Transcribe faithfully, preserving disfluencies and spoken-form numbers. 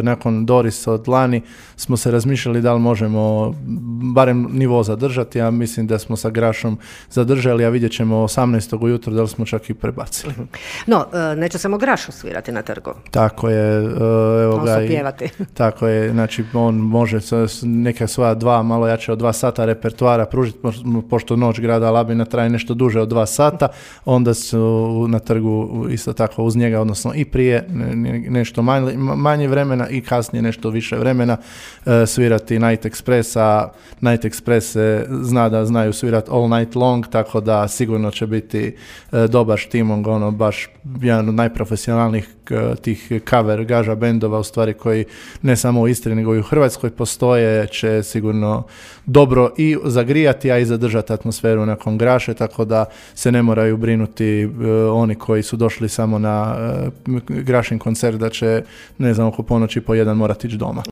Nakon Dorisa od lani smo se razmišljali da li možemo barem nivo zadržati, a mislim da smo sa Grašom zadržali, a vidjet ćemo osamnaestog ujutro da li smo čak i prebacili. No, neće samo Grašo svirati na trgu. Tako je. Evo ga, on pjevati. Tako je, znači on može neka svoja dva, malo jače od dva sata repertoara pružiti, pošto Noć grada Labina traje nešto duže od dva sata, onda su na trgu isto tako uz njega, odnosno i prije nešto manje, manje vremena i kasnije nešto više vremena e, svirati Night Express, a Night Express se zna da znaju svirati all night long, tako da sigurno će biti e, dobar štimong, ono baš jedan od najprofesionalnijih e, tih cover gaža bendova u stvari koji ne samo u Istri nego i u Hrvatskoj postoje, će sigurno dobro i zagrijati, a i zadržati atmosferu nakon Graše, tako da se ne moraju brinuti e, oni koji su došli samo na e, Grašin koncert da će, ne znam, oko ponoći po jedan morati ići doma.